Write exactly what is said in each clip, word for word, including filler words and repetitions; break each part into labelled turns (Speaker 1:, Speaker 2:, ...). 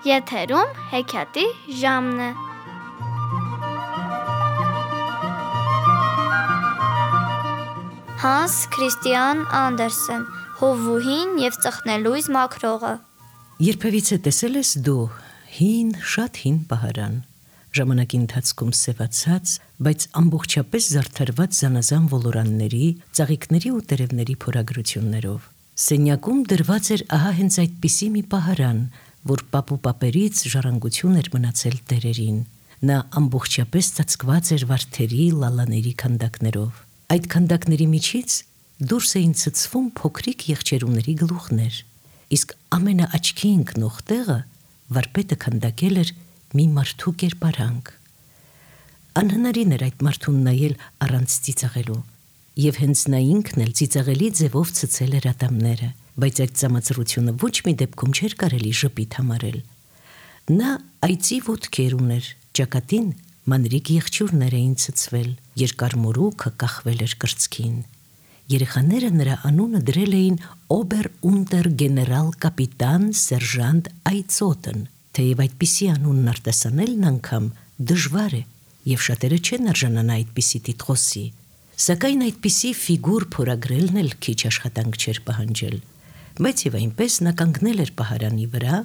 Speaker 1: Եթերում հեքիաթի ժամն է։ Հանս Քրիստիան Անդերսեն, Հովվուհին և ծխնելույզ մաքրողը։
Speaker 2: Երբևիցե տեսել ես դու հին, շատ հին պահարան, ժամանակի ընթացքում սևացած, բայց ամբողջապես զարդարված զանազան ոլորանների, ծաղիկների ու տերևների փորագրություններով։ Սենյակում դրված էր ահա հենց այդպիսի մի պահարան, որ պապու պապերից ժառանգություն էր մնացել տերերին։ Նա ամբողջապես ծածկված էր վարդերի, լալաների քանդակներով։ Այդ քանդակների միջից դուրս էին ցցվում փոքրիկ եղջերուների գլուխներ, իսկ ամենաաչքի ընկնող տեղը վարպետը քանդակել էր մի մարդու կերպարանք։ Անհնարին էր այդ մարդուն նայել առանց ծիծաղելու, եւ հենց նա ինքն էլ ծիծաղելի ձևով ցցել էր ատամները, բայց այդ ծամածրությունը ոչ մի դեպքում չէր կարելի ժպիտ համարել։ Նա այծի ոտքեր ուներ, ճակատին մանրիկ եղջյուրներ էին ցցվել, երկար մորուքը կախվել էր կրծքին։ Երեխաները նրա անունը դրել էին օբեր-ունտեր գեներալ կապիտան սերժանտ Այծոտն, թեև այդպիսի անունն արտասանելն անգամ դժվար է, եւ շատերը չեն արժանանա այդպիսի տիտղոսի, սակայն այդպիսի ֆիգուր փորագրելն էլ քիչ աշխատանք չէր պահանջել, բայց եւ այնպես նա կանգնել էր պահարանի վրա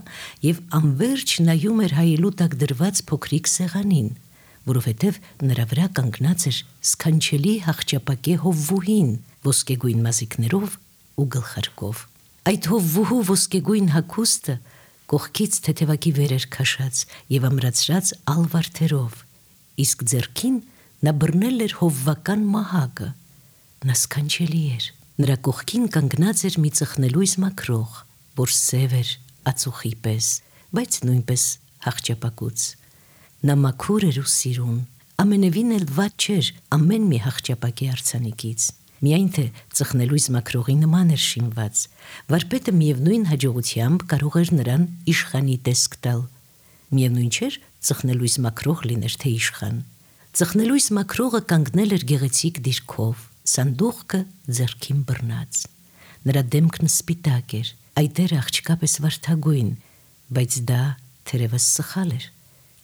Speaker 2: եւ անverջ նայում էր հայելու տակ դրված փոքրիկ սեղանին, որովհետև նրա վրա կանգնած էր սքանչելի հախճապակե Հովվուհին ոսկեգույն մազիկներով ու գլխարկով։ Այդ Հովվուհու ոսկեգույն հագուստը կողքից թեթևակի վեր էր քաշած եւ ամրացրած ալվարդերով, իսկ ձեռքին նա բռնել էր հովվական մահակը։ Նա սքանչելի էր։ Նրա կողքին կանգնած էր մի ծխնելույզ մաքրող, որ սև էր ածուխի պես, բայց նույնպես հախճապակուց։ Նա մաքուր էր ու սիրուն, ամենևին էլ վատ չէր ամեն մի հախճապակի արձանիկից, միայն թե ծխնելույզ մաքրողի նման էր շինված, վարպետը միևնույն հաջողությամբ կարող էր նրան իշխանի տեսք տալ, միևնույն չէր ծխնելույզ մաքրող լիներ թե իշխան։ Ծխնելույզ մաքրողը կանգնել էր գեղեցիկ դիրքով, սանդուղքը ձեռքին բռնած։ Նրա դեմքն սպիտակ էր, այտերը աղջկա պես վարդագույն, բայց դա թերևս սխալ էր։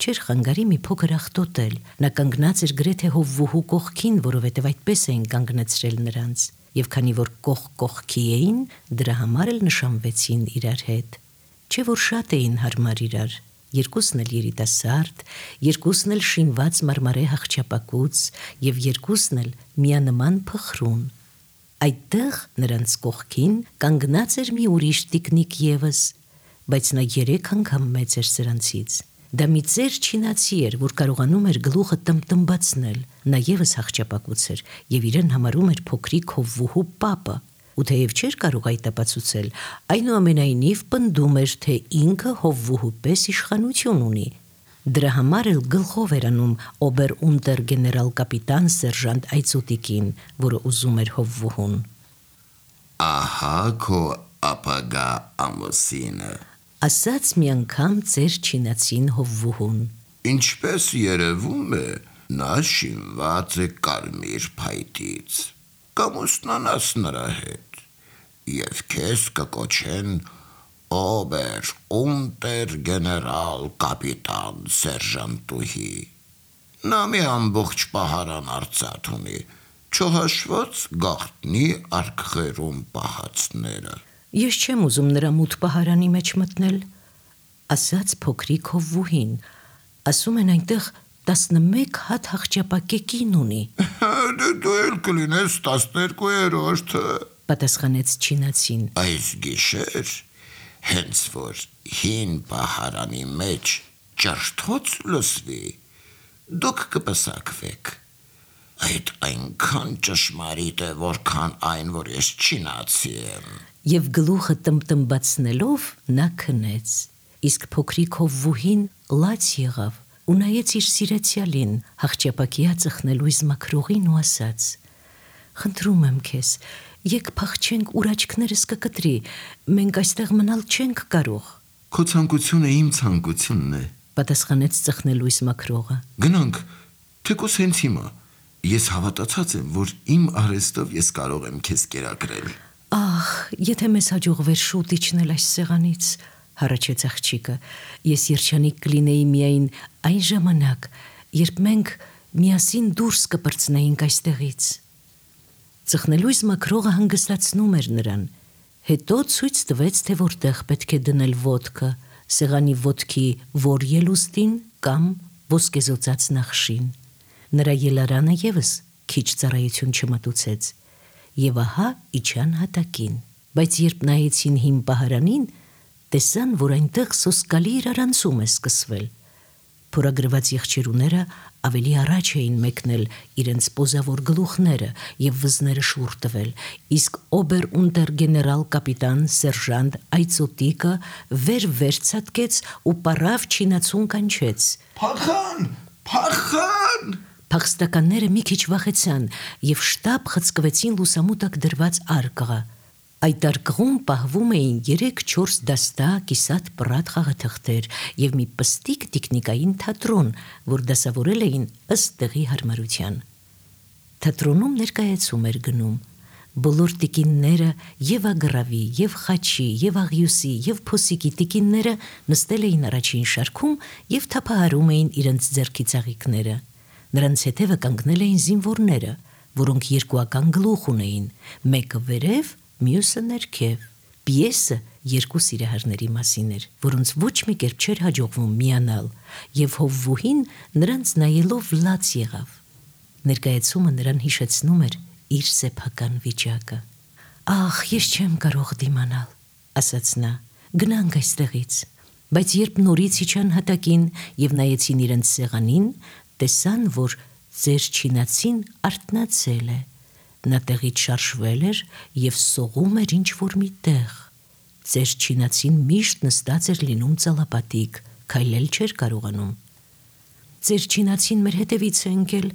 Speaker 2: Չէր խանգարի մի փոքր աղտոտել, նա կանգնած էր գրեթե Հովվուհու կողքին, որովհետև այդպես էին կանգնեցրել նրանց, եւ քանի որ կողք կողքի էին, դրա համար էլ նշանվեցին իրար հետ։ Չէ որ շատ էին հարմար իրար, երկուսն էլ երիտասարդ, երկուսն էլ շինված մարմարե հախճապակուց եւ երկուսն էլ միանման փխրուն։ Այդտեղ նրանց կողքին կանգնած էր մի ուրիշ տիկնիկ եւս, բայց նա երեք անգամ մեծ էր սրանցից։ Դա մի ծեր չինացի էր, որ կարողանում էր գլուխը տմտմբացնել, նա եւս հախճապակուց էր եւ իրեն համարում էր փոքրիկ Հովվուհու պապը, ու թեև չէր կարող այդ ապացուցել, այնուամենայնիվ պնդում էր, թե ինքը Հովվուհու պես իշխանություն ունի։ Դրա համար էլ գլխով էր անում օբեր-ունտեր գեներալ կապիտան սերժանտ Այծոտիկին, որը ուզում էր Հովվուհուն։
Speaker 3: Ահա քո ապագա ամուսինը,
Speaker 2: ասաց մի անգամ ծեր չինացին Հովվուհուն։
Speaker 3: Ինչպես երևում է, նա շինված է կարմիր փայտից, կամուսնանաս նրա հետ, եւ քեզ կկոչեն օբեր ունտեր գեներալ կապիտան սերժանտուհի։ Նա մի ամբողջ պահարան արծաթ ունի, չհաշված գաղտնի արկղերում պահածները։
Speaker 2: Ես չեմ ուզում նրա մութ պահարանի մեջ մտնել, ասաց փոքրիկ Հովվուհին, ասում են այնտեղ տասնմեկ հատ հախճապակե կին ունի։
Speaker 3: Դու էլ կլինես տասներկուերորդը,
Speaker 2: պատասխանեց չինացին։
Speaker 3: Այս գիշեր, հենց որ հին պահարանի մեջ ճշտոց լսվի, դուք կպսակվեք։ Այդ այնքան ճշմարիտ է, որքան այն, որ ես չինացի եմ։
Speaker 2: Եվ գլուխը տմտմբացնելով նա քնեց, իսկ փոքրիկ Հովվուհին լաց եղավ ու նայեց իր սիրեցյալին, հախճապակյա ծխնելույզ մաքրողին ու ասաց. Խնդրում եմ քեզ, եկ փախչենք ուր աչքներս կկտրի, մենք այստեղ մնալ չենք կարող։
Speaker 3: Քո ցանկությունը իմ ցանկությունն է,
Speaker 2: պատասխանեց ծխնելույզ մաքրողը։
Speaker 3: Գնանք, թեկուզ հենց հիմա, ես հավատացած եմ, որ իմ արհեստով ես կարող եմ քեզ կերակրել։
Speaker 2: Ահ, եթե մեզ հաջողվեր շուտ իջնել այս սեղանից, հառաչեց աղջիկը, ես երջանիկ կլինեի միայն այն ժամանակ, երբ մենք միասին դուրս կպրծնեինք այստեղից։ Ծխնելույս մաքրողը հանգստացնում էր նրան, հետո ցույց տվեց, թե որտեղ պետք է դնել ոտքը, սեղանի ոտքի որ ելուստին կամ ոսկեզօծած նախշին։ Նրա ելարանը ևս քիչ ծառայություն չմտուցեց, եւ ահա իջան հատակին, բայց երբ նայեցին հին պահարանին, տեսան, որ այնտեղ սոսկալի իրարանցում է սկսվել։ Փորագրված եղջերուները ավելի առաջ էին մեկնել իրենց պոզավոր գլուխները եւ վզները շուռ տվել, իսկ օբեր-ունտեր-գեներալ կապիտան սերժանտ Այծոտիկը վեր-վեր ցատկեց ու պարավ չինացուն կանչեց.
Speaker 3: Փախան, փախան։
Speaker 2: Փախստականները մի քիչ վախեցան եւ շտապ խցկվեցին լուսամուտակ դրված արկղը։ Այդ արկղում պահվում էին երեք-չորս դաստա կիսատ պռատ խաղաթղթեր եւ մի պստիկ տիկնիկային թատրոն, որ դասավորել էին ըստ տեղի հարմարության։ Թատրոնում ներկայացում էր գնում։ Բոլոր տիկինները եւ ագրավի, եւ խաչի, եւ աղյուսի, եւ փոսիկի տիկինները նստել էին առաջին շարքում եւ թափահարում էին իրենց ձեռքի ծաղիկները։ Նրանց հետևը կանգնել էին զինվորները, որոնք երկուական գլուխ ունեին, մեկը վերև, մյուսը ներքև։ Պիեսը երկու սիրահարների մասին էր, որոնց ոչ մի կերպ չէր հաջողվում միանալ, եւ հովվուհին նրանց նայելով լաց եղավ։ Ներկայացումը նրան հիշեցնում էր իր սեփական վիճակը։ «Ախ, ես չեմ կարող դիմանալ», ասաց նա, «գնանք այստեղից»։ Բայց երբ նորից իջան հատակին եւ նայեցին իրենց սեղանին, տեսան, որ ձեր չինացին արթնացել է։ Նա տեղից շարժվել էր եւ սողում էր ինչ-որ մի տեղ։ Ձեր չինացին միշտ նստած էր լինում ծալապատիկ, քայլել չէր կարողանում։ «Ձեր չինացին մեր հետևից է ընկել»,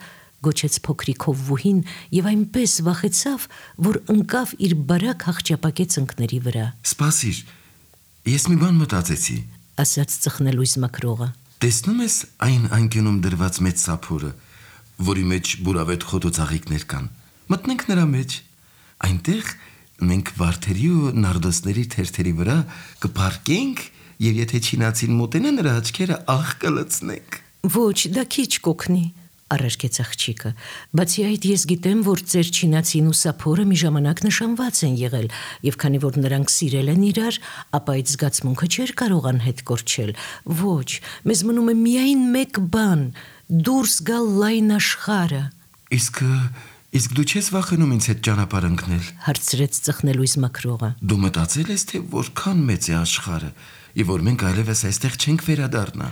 Speaker 2: գոչեց փոքրիկ հովվուհին եւ այնպես վախեցավ, որ ընկավ իր բարակ հախճապակե ծնկների վրա։
Speaker 3: Սպասիր, ես մի բան մտածեցի,
Speaker 2: ասաց ծխնելույս մաքրողը։
Speaker 3: Տեսնում ես այն անկյունում դրված մեծ սափորը, որի մեջ բուրավետ խոտոծաղիկներ կան։ Մտնենք նրա մեջ։ Այնտեղ մենք վարդերի ու նարդոսների թերթերի վրա կփարկենք եւ եթե չինացին մոտենա նրա աչքերը աղ կլցնենք։
Speaker 2: Ոչ, դա քիչ կօգնի, առարկեց աղջիկը, բացի այդ ես գիտեմ, որ ձեր չինացին ու սափորը մի ժամանակ նշանված են եղել, եւ քանի որ նրանք սիրել են իրար, ապա այդ զգացմունքը չէր կարող անհետ կորչել։ Ոչ, մեզ մնում է միայն մեկ բան՝ դուրս գալ լայն աշխարհը։
Speaker 3: Իսկ իսկ դու չես վախենում ինձ հետ ճանապարհ ընկնել,
Speaker 2: հարցրեց ծխնելույս մաքրողը։
Speaker 3: Դու մտածել ես, թե որքան մեծ է աշխարհը, եւ որ մենք այլևս այստեղ չենք վերադառնա։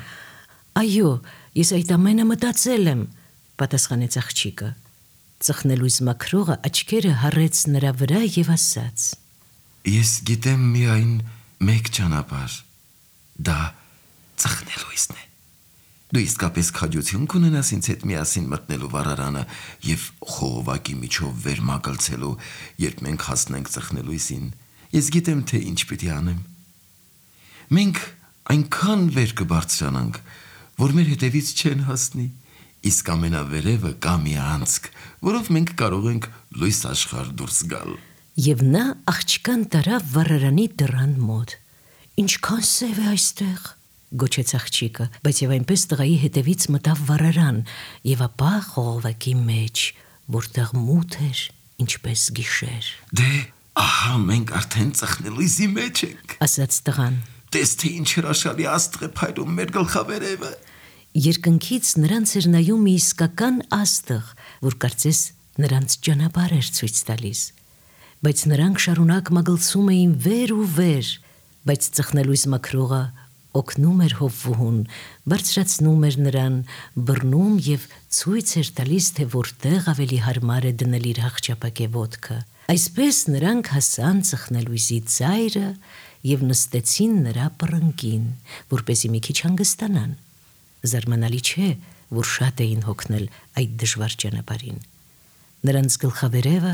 Speaker 2: Այո, ես այդ ամենը մտածել եմ, պատասխանեց աղջիկը։ Ծխնելույս մաքրողը աչքերը հառեց նրա վրա եւ ասաց.
Speaker 3: Ես գիտեմ միայն մեկ ճանապարհ, դա ծխնելույսն է։ Դու իսկապես քաջություն կունենաս ինձ հետ միասին մտնելու վառարանը եւ խողովակի միջով վեր մագլցելու, երբ մենք հասնենք ծխնելույսին։ Ես գիտեմ, թե ինչ պիտի անեմ։ Մենք այնքան վեր կբարձրանանք, որ մեր հետևից չեն հասնի, իսկ ամենավերևը կա մի անցք, որով մենք կարող ենք լույս աշխարհ դուրս գալ։
Speaker 2: Եվ նա աղջկան տարավ վառարանի դռան մոտ։ Ինչքան սև է այստեղ, գոչեց աղջիկը, բայց եւ այնպես տղայի հետևից մտավ վառարան եւ ապա խողովակի մեջ, որտեղ մութ էր, ինչպես գիշեր։
Speaker 3: Դե, ահա մենք արդեն ծխնելույսի մեջ ենք,
Speaker 2: ասաց տղան։
Speaker 3: Տես թե ինչ հրաշալի աստղ է փայլում մեր գլխավերևը։
Speaker 2: Երկնքից նրանց էր նայում մի իսկական աստղ, որ կարծես նրանց ճանապարհ էր ցույց տալիս։ Բայց նրանք շարունակ մագլցում էին վեր ու վեր, բայց ծխնելույս մաքրողը օգնում էր հովվուհուն, բարձրացնում էր նրան, բռնում եւ ցույց էր տալիս, թե որտեղ ավելի հարմար է դնել իր հախճապակե ոտքը։ Այսպես նրանք հասան ծխնելույսի ծայրը եւ նստեցին նրա պռնկին, որպեսզի մի քիչ հանգստանան։ Զարմանալի չէ, որ շատ էին հոգնել այդ դժվար ճանապարհին։ Նրանց գլխավերևը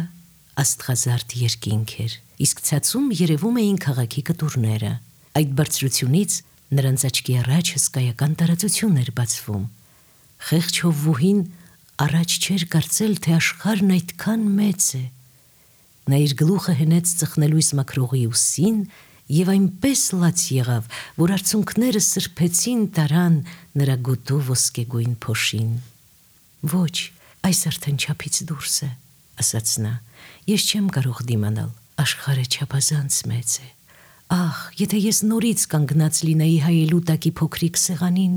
Speaker 2: աստղազարդ երկինք էր, իսկ ցածում երևում էին քաղաքի կտուրները։ Այդ բարձրությունից նրանց աչքի առաջ հսկայական տարածություն էր բացվում։ Խեղճ հովվուհին առաջ չէր կարծել, թե աշխարհն այդքան մեծ է։ Նա իր գլուխը հենեց ծխնելույս մաքրողի ուսին եւ այնպես լաց եղավ, որ արցունքները սրբեցին տարան նրա գոտու ոսկեգույն փոշին։ Ոչ, այս արդեն չափից դուրս է, ասաց նա, ես չեմ կարող դիմանալ, աշխարհը չափազանց մեծ է։ Ահ, եթե ես նորից կանգնած լինեի հայելու տակի փոքրիկ սեղանին,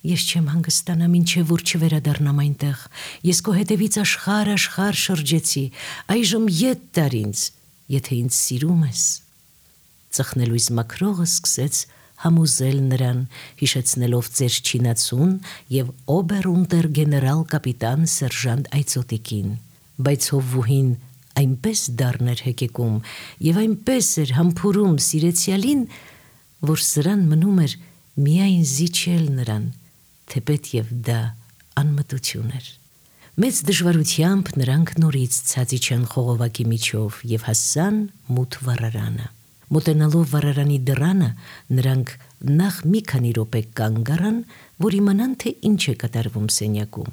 Speaker 2: ես չեմ հանգստանա, մինչև որ չվերադառնամ այնտեղ։ Ես քո հետևից աշխարհ աշխարհ շրջեցի, այժմ ետ տար ինձ, եթե ինձ սիրում ես։ Ծխնելույս մաքրողը սկսեց համոզել նրան, հիշեցնելով ծեր չինացուն եւ օբերունտեր գեներալ կապիտան սերժանտ Այծոտիկին, բայց հովվուհին այնպես դառն էր հեկեկում եւ այնպես էր համբուրում սիրեցյալին, որ սրան մնում էր միայն զիջել նրան, թեպետ եւ դա անմտություն էր։ Մեծ դժվարությամբ նրանք նորից ցածիչան խողովակի միջով եւ հասան մութ վառարանը։ Մոտենալով վառարանի դռանը, նրանք նախ մի քանի րոպե կանգ առան, որ իմանան, թե ինչ է կատարվում սենյակում։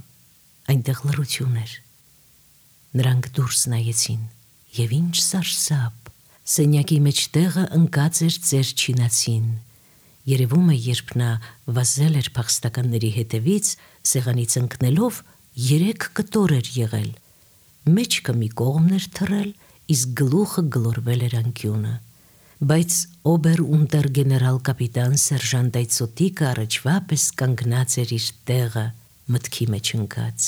Speaker 2: Այնտեղ լռություն էր։ Նրանք դուրս նայեցին, եւ ինչ սարսափ, սենյակի մեջտեղը ընկած էր ծեր չինացին։ Երևում է, երբ նա վազել էր փախստականների հետևից, սեղանից ընկնելով, երեք կտոր էր եղել։ Մեջքը մի կողմն էր թռել, իսկ գլուխը գլորվել էր անկյունը։ Բայց օբերունտեր գեներալ կապիտան սերժանտ Այծոտիկը առաջվա պես կանգնած էր իր տեղը, մտքի մեջ ընկած։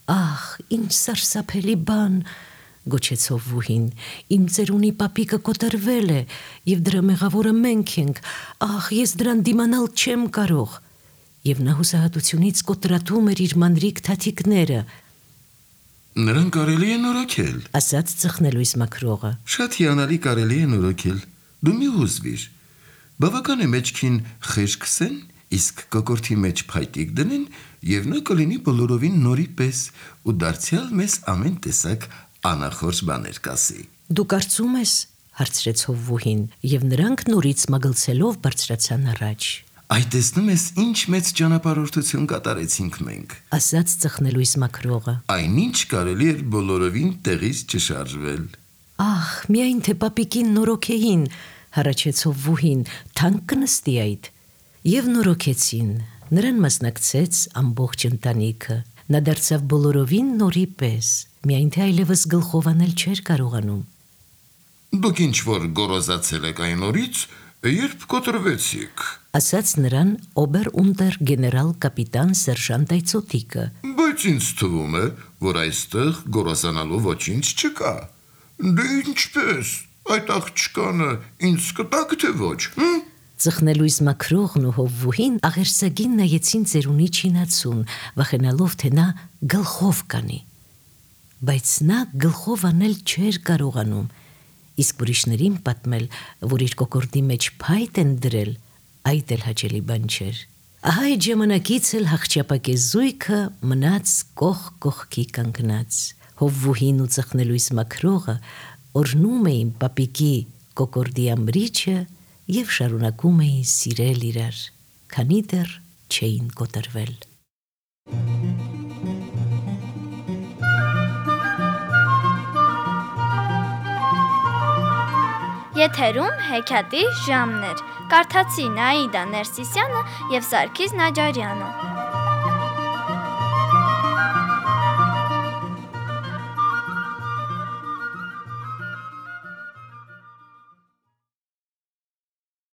Speaker 2: Ահ, ինչ սարսափելի բան, գոչեց հովվուհին, իմ ծերունի պապիկը կոտրվել է, եւ դրա մեղավորը մենք ենք, ահ, ես դրան դիմանալ չեմ կարող։ Եվ նա հուսահատությունից կոտրատում էր իր մանրիկ թաթիկները։
Speaker 3: Նրան կարելի է նորոգել,
Speaker 2: ասաց ծխնելույս մաքրողը։
Speaker 3: Շատ հիանալի կարելի է նորոգել, դու մի հուզվիր։ Բավական է մեջքին խեժ քսեն, իսկ կոկորտի մեջ փայտիկ դնեն, եւ նա կլինի բոլորովին նորի պես, ու դարձյալ մեզ ամեն տեսակ անախորժ բաներ կասի։
Speaker 2: Դու կարծում ես, հարցրեց հովվուհին, եւ նրանք նորից մագլցելով բարձրացան առաջ։
Speaker 3: Այ տեսնում ես, ինչ մեծ ճանապարհորդություն կատարեցինք մենք,
Speaker 2: ասաց ծխնելույս մաքրողը։
Speaker 3: Այնինչ կարելի էր բոլորովին տեղից չշարժվել։
Speaker 2: Ահ, միայն թե պապիկին նորոգեին, հառաչեց հովվուհին, թանկ կնստի այդ։ Եվ նորոգեցին, նրան մասնակցեց ամբողջ ընտանիքը։ Նա դարձավ բոլորովին նորի պես, միայն թե այլևս գլխով անել չէր կարողանում։
Speaker 3: Դուք ինչ որ գոռոզացել եք այն օրից, երբ կոտրվեցիք,
Speaker 2: ասաց նրան օբերունտեր գեներալ կապիտան սերժանտ Այծոտիկը։
Speaker 3: Բայց ինձ թվում է, որ այստեղ գոռոզանալու ոչինչ չկա։ Դե ինչպես, այդ աղջկանը ինձ կտակ թե ոչ, հմ?
Speaker 2: Ծխնելույս մաքրողն ու հովվուհին աղերսագին նայեցին ծերունի չինացուն, վախենալով, թե նա գլխով կանի։ Բայց նա գլխով անել չէր կարողանում, իսկ ուրիշներին պատմել, որ իր կոկորդի մեջ փայտ են դրել, այդ էլ հաճելի բան չէր։ Ահա այդ ժամանակից էլ հախճապակե զույգը մնաց կող կողքի կանգնած։ Հովվուհին ու ծխնելույս մաքրողը օրհնում էին պապիկի կոկորդի ամրիչը եւ շարունակում էին սիրել իրար, քանի դեռ չէին կոտրվել։
Speaker 1: Եթերում հեքիաթի ժամներ։ Կարդացին Աիդա Ներսիսյանը եւ Սարգիս Նաջարյանը։